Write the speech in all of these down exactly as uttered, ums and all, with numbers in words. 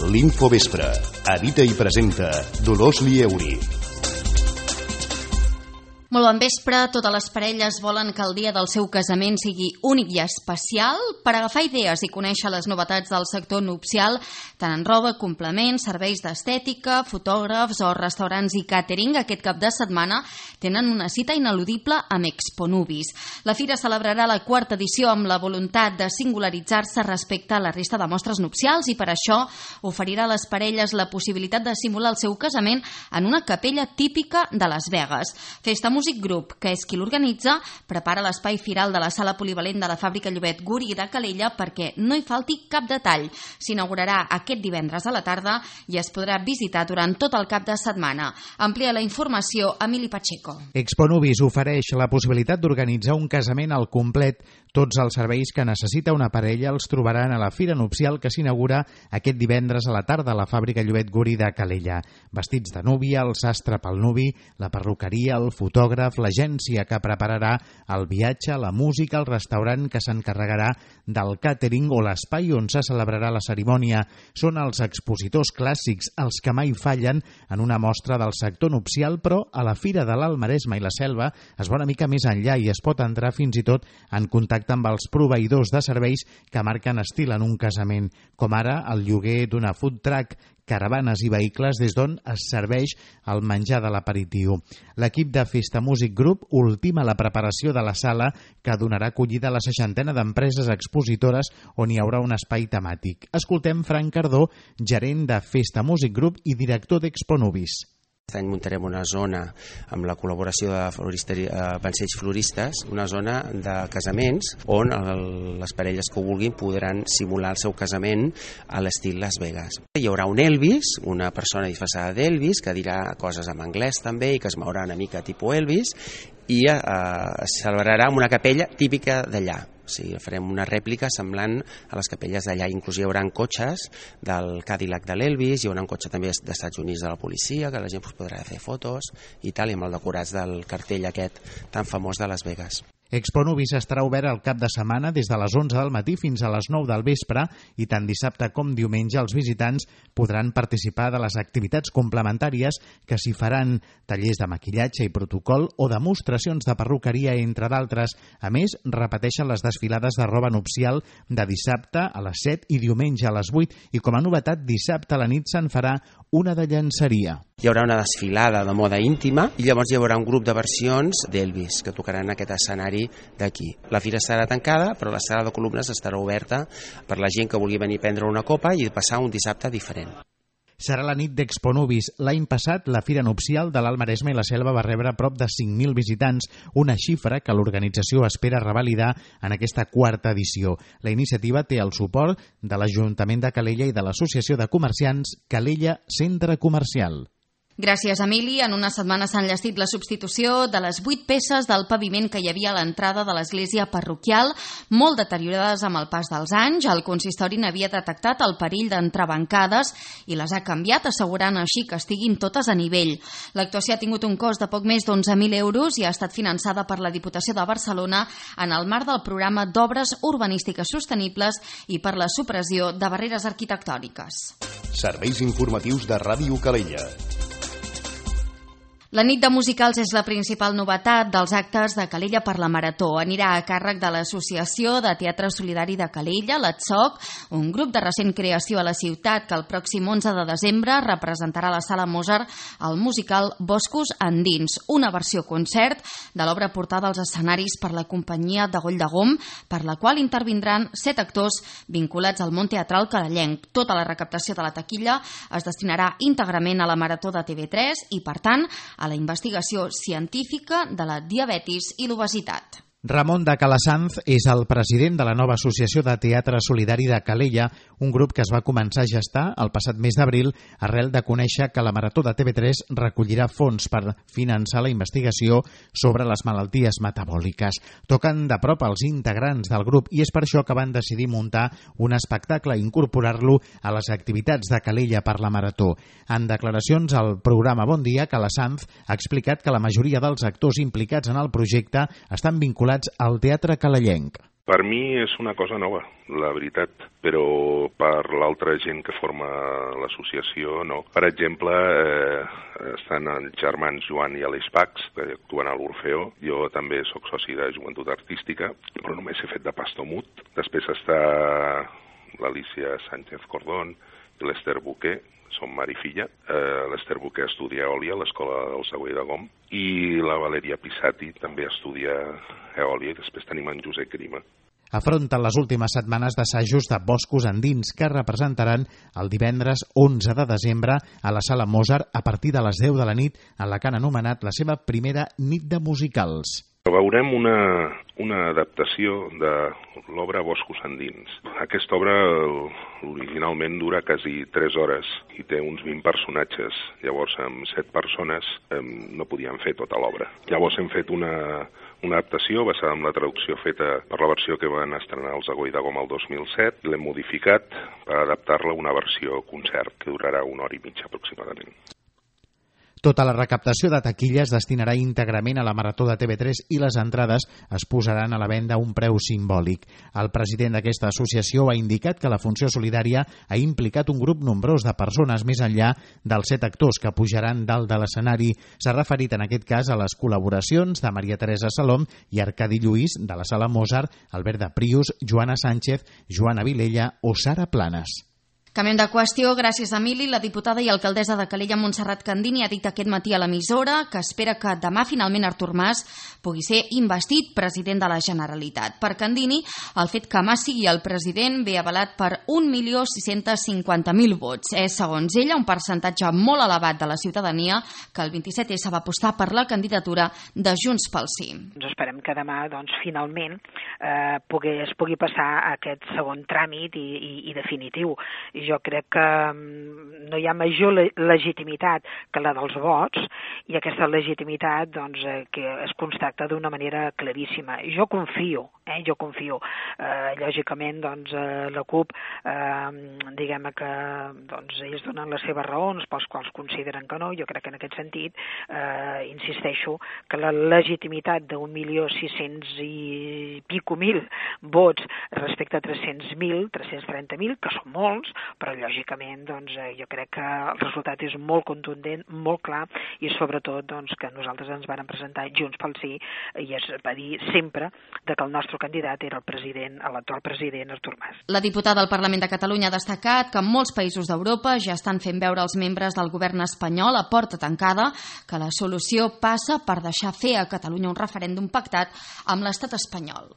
L'Infovespre. Edita i presenta Dolors Lieuri. Molt bon vespre. Totes les parelles volen que el dia del seu casament sigui únic i especial. Per agafar idees i conèixer les novetats del sector nupcial, tant en roba, complements, serveis d'estètica, fotògrafs o restaurants i càtering, aquest cap de setmana tenen una cita ineludible amb Exponubis. La fira celebrarà la quarta edició amb la voluntat de singularitzar-se respecte a la resta de mostres nupcials i per això oferirà a les parelles la possibilitat de simular el seu casament en una capella típica de Las Vegas. Festa Music Group, que és qui l'organitza, prepara l'espai firal de la sala polivalent de la fàbrica Llobet Guri de Calella perquè no hi falti cap detall. S'inaugurarà aquest divendres a la tarda i es podrà visitar durant tot el cap de setmana. Amplia la informació Emili Pacheco. Exponubis ofereix la possibilitat d'organitzar un casament al complet. Tots els serveis que necessita una parella els trobaran a la fira nupcial que s'inaugura aquest divendres a la tarda a la fàbrica Llobet Guri de Calella. Vestits de núvia, el sastre pel nuvi, la perruqueria, el fotògraf, l'agència que prepararà el viatge, la música, el restaurant que s'encarregarà del càtering o l'espai on se celebrarà la cerimònia. Són els expositors clàssics, els que mai fallen en una mostra del sector nupcial, però a la Fira de l'Alt Maresme i la Selva es va una mica més enllà i es pot entrar fins i tot en contacte amb els proveïdors de serveis que marquen estil en un casament, com ara el lloguer d'una food truck, caravanes i vehicles des d'on es serveix el menjar de l'aperitiu. L'equip de Festa Music Group ultima la preparació de la sala que donarà acollida a la seixantena d'empreses expositores on hi haurà un espai temàtic. Escoltem Frank Cardó, gerent de Festa Music Group i director d'Exponubis. Aquest any muntarem una zona amb la col·laboració de pansells floristes, una zona de casaments on el, les parelles que ho vulguin podran simular el seu casament a l'estil Las Vegas. Hi haurà un Elvis, una persona disfressada d'Elvis que dirà coses en anglès també i que es mourà una mica tipus Elvis i eh, es celebrarà en una capella típica d'allà. O sigui, farem una rèplica semblant a les capelles d'allà. Inclús hi haurà cotxes del Cadillac de l'Elvis, hi haurà un cotxe també dels Estats Units de la policia, que la gent podrà fer fotos i tal, i amb el decorats del cartell aquest tan famós de Las Vegas. Exponubis estarà obert el cap de setmana des de les onze del matí fins a les nou del vespre i tant dissabte com diumenge els visitants podran participar de les activitats complementàries que s'hi faran, tallers de maquillatge i protocol o demostracions de perruqueria, entre d'altres. A més, repeteixen les desfilades de roba nupcial de dissabte a les set i diumenge a les vuit i com a novetat dissabte a la nit se'n farà una de llenceria. Hi haurà una desfilada de moda íntima i llavors hi haurà un grup de versions d'Elvis que tocaran aquest escenari d'aquí. La fira estarà tancada, però la sala de columnes estarà oberta per la gent que vulgui venir a prendre una copa i passar un dissabte diferent. Serà la nit d'Exponubis. L'any passat, la Fira Nupcial de l'Alt Maresme i la Selva va rebre prop de cinc mil visitants, una xifra que l'organització espera revalidar en aquesta quarta edició. La iniciativa té el suport de l'Ajuntament de Calella i de l'Associació de Comerciants Calella Centre Comercial. Gràcies, Emili. En una setmana s'ha enllestit la substitució de les vuit peces del paviment que hi havia a l'entrada de l'església parroquial, molt deteriorades amb el pas dels anys. El consistori n'havia detectat el perill d'entrebancades i les ha canviat, assegurant així que estiguin totes a nivell. L'actuació ha tingut un cost de poc més d'onze mil euros i ha estat finançada per la Diputació de Barcelona en el marc del programa d'obres urbanístiques sostenibles i per la supressió de barreres arquitectòniques. Serveis informatius de Ràdio Calella. La nit de musicals és la principal novetat dels actes de Calella per la Marató. Anirà a càrrec de l'Associació de Teatre Solidari de Calella, l'A T S O C, un grup de recent creació a la ciutat que el pròxim onze de desembre representarà a la Sala Mozart el musical Boscos Andins, una versió concert de l'obra portada als escenaris per la companyia de Goll de Gom, per la qual intervindran set actors vinculats al món teatral calellenc. Tota la recaptació de la taquilla es destinarà íntegrament a la Marató de T V tres i, per tant, a la investigació científica de la diabetis i l'obesitat. Ramon de Calasanz és el president de la nova Associació de Teatre Solidari de Calella, un grup que es va començar a gestar el passat mes d'abril arrel de conèixer que la Marató de T V tres recollirà fons per finançar la investigació sobre les malalties metabòliques. Toquen de prop els integrants del grup i és per això que van decidir muntar un espectacle i incorporar-lo a les activitats de Calella per la Marató. En declaracions al programa Bon Dia, Calasanz ha explicat que la majoria dels actors implicats en el projecte estan vinculats al teatre calellenc. Per mi és una cosa nova, la veritat, però per l'altra gent que forma l'associació no. Per exemple, eh, estan els germans Joan i Aleix Pacs, que actuen a l'Orfeó. Jo també sóc soci de Joventut Artística, però només he fet de pastor mut. Després està l'Alicia Sánchez Cordón i l'Ester Buquer, som mare i filla. Eh, L'Ester Buquer estudia eòlia a l'Escola del Següell de Gom i la Valeria Pisati també estudia eòlia i després tenim en Josep Grima. Afronten les últimes setmanes d'assajos de Boscos Endins que representaran el divendres onze de desembre a la Sala Mozart a partir de les deu de la nit en la que han anomenat la seva primera nit de musicals. Veurem una, una adaptació de l'obra Boscos Endins. Aquesta obra originalment dura quasi tres hores i té uns vint personatges. Llavors, amb set persones eh, no podíem fer tota l'obra. Llavors hem fet una, una adaptació basada en la traducció feta per la versió que van estrenar els Agoi de Gom el dos mil set. L'hem modificat per adaptar-la a una versió concert que durarà una hora i mitja aproximadament. Tota la recaptació de taquilla es destinarà íntegrament a la Marató de T V tres i les entrades es posaran a la venda a un preu simbòlic. El president d'aquesta associació ha indicat que la funció solidària ha implicat un grup nombrós de persones més enllà dels set actors que pujaran dalt de l'escenari. S'ha referit en aquest cas a les col·laboracions de Maria Teresa Salom i Arcadi Lluís de la Sala Mozart, Albert de Prius, Joana Sánchez, Joana Vilella o Sara Planes. Canviem de qüestió. Gràcies, Emili. La diputada i alcaldessa de Calella, Montserrat Candini, ha dit aquest matí a l'emissora que espera que demà finalment Artur Mas pugui ser investit president de la Generalitat. Per Candini, el fet que Mas sigui el president ve avalat per un milió sis-cents cinquanta mil vots. És, segons ella, un percentatge molt elevat de la ciutadania que el vint-i-set essa va apostar per la candidatura de Junts pel Sí. Doncs esperem que demà, doncs, finalment eh, pugui, es pugui passar aquest segon tràmit i, i, i definitiu. Jo crec que no hi ha major legitimitat que la dels vots i aquesta legitimitat doncs, que es constata d'una manera claríssima. Jo confio, eh, jo confio. Eh, lògicament, doncs, la CUP, eh, diguem que doncs, ells donen les seves raons pels quals consideren que no. Jo crec que en aquest sentit, eh, insisteixo, que la legitimitat d'un milió sis-cents i pico mil vots respecte a tres-cents mil, tres-cents trenta mil, que són molts, però lògicament doncs, jo crec que el resultat és molt contundent, molt clar i sobretot doncs, que nosaltres ens vàrem presentar Junts pel Sí i es va dir sempre que el nostre candidat era el president, l'actual president Artur Mas. La diputada del Parlament de Catalunya ha destacat que en molts països d'Europa ja estan fent veure als membres del govern espanyol a porta tancada que la solució passa per deixar fer a Catalunya un referèndum pactat amb l'estat espanyol.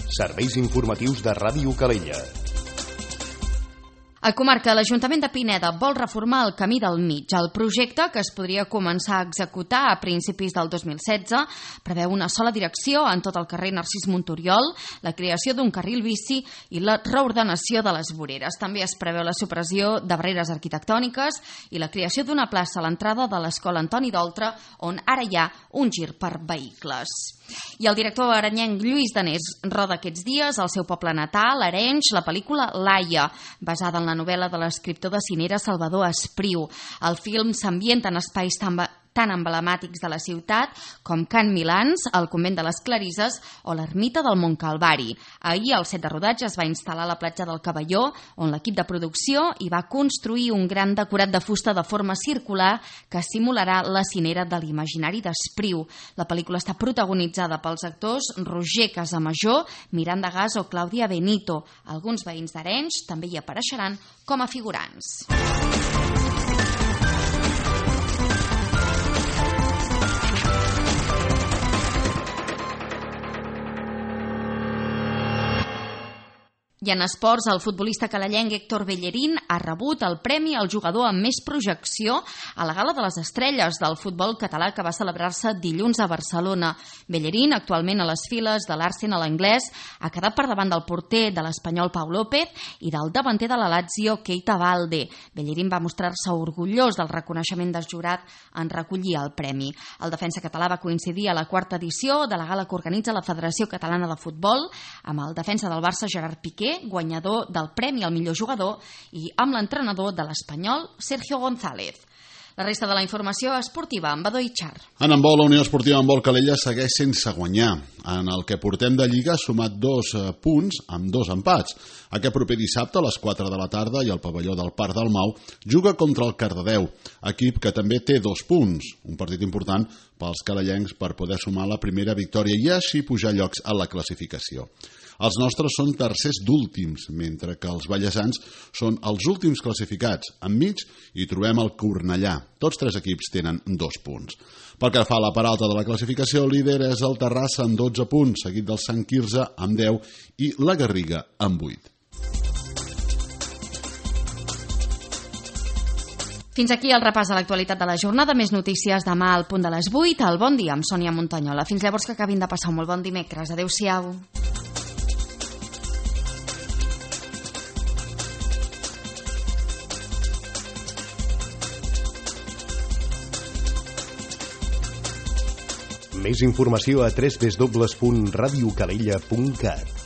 Serveis informatius de Ràdio Calella. A comarca, l'Ajuntament de Pineda vol reformar el Camí del Mig. El projecte, que es podria començar a executar a principis del dos mil setze, preveu una sola direcció en tot el carrer Narcís Montoriol, la creació d'un carril bici i la reordenació de les voreres. També es preveu la supressió de barreres arquitectòniques i la creació d'una plaça a l'entrada de l'Escola Antoni d'Oltra, on ara hi ha un gir per vehicles. I el director arenyenc Lluís Danés roda aquests dies al seu poble natal, Arenys, la pel·lícula Laia, basada en la novel·la de l'escriptor de cinera Salvador Espriu. El film s'ambienta en espais tan, tan emblemàtics de la ciutat com Can Milans, el convent de les Clarisses o l'ermita del Montcalvari. Ahir, al set de rodatge, es va instal·lar a la platja del Cavalló, on l'equip de producció hi va construir un gran decorat de fusta de forma circular que simularà la cinera de l'imaginari d'Espriu. La pel·lícula està protagonitzada pels actors Roger Casamajor, Miranda Gas o Clàudia Benito. Alguns veïns d'Arenys també hi apareixeran com a figurants. I en esports, el futbolista calellenc Héctor Bellerín ha rebut el premi al jugador amb més projecció a la Gala de les Estrelles del futbol català que va celebrar-se dilluns a Barcelona. Bellerín, actualment a les files de l'Arsenal anglès, ha quedat per davant del porter de l'espanyol Pau López i del davanter de la Lazio Keita Balde. Bellerín va mostrar-se orgullós del reconeixement del jurat en recollir el premi. El defensa català va coincidir a la quarta edició de la gala que organitza la Federació Catalana de Futbol amb el defensa del Barça Gerard Piqué, guanyador del premi al millor jugador, i amb l'entrenador de l'Espanyol Sergio González. La resta de la informació esportiva amb Badó i Char. En handbol, la Unió Esportiva Handbol Calella segueix sense guanyar. En el que portem de Lliga ha sumat dos punts amb dos empats. Aquest proper dissabte a les quatre de la tarda i al pavelló del Parc del Mau juga contra el Cardedeu, equip que també té dos punts. Un partit important pels calellencs per poder sumar la primera victòria i així pujar llocs a la classificació. Els nostres són tercers d'últims, mentre que els ballesans són els últims classificats. Enmig hi trobem el Cornellà. Tots tres equips tenen dos punts. Pel que fa a la part alta de la classificació, el líder és el Terrassa amb dotze punts, seguit del Sant Quirze amb deu i la Garriga amb vuit. Fins aquí el repàs de l'actualitat de la jornada. Més notícies demà al punt de les vuit. El Bon Dia amb Sònia Montanyola. Fins llavors, que acabin de passar un molt bon dimecres. Adéu-siau. Més informació a w w w punt radio calella punt cat.